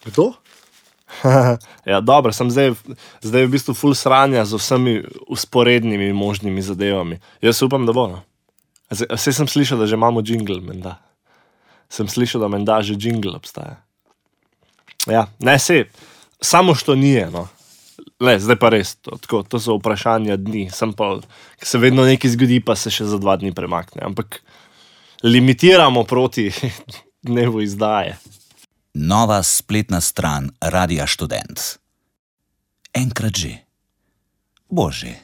Kdo? Ja, dobro, sem zdaj v bistvu ful sranja z vsemi usporednimi možnimi zadevami. Jaz upam, da bo, no. Saj sem slišal, da že imamo jingle, menda. Sem slišal, da menda že jingle obstaja. Ja, ne, sej, samo što nije, no. Le, zdaj pa res, to so vprašanja dni, sem pa, se vedno nekaj zgodi, pa se še za 2 dni premakne, ampak limitiramo proti dnevu izdaje. Nova spletna stran Radia Študent. Enkrat že. Bo že.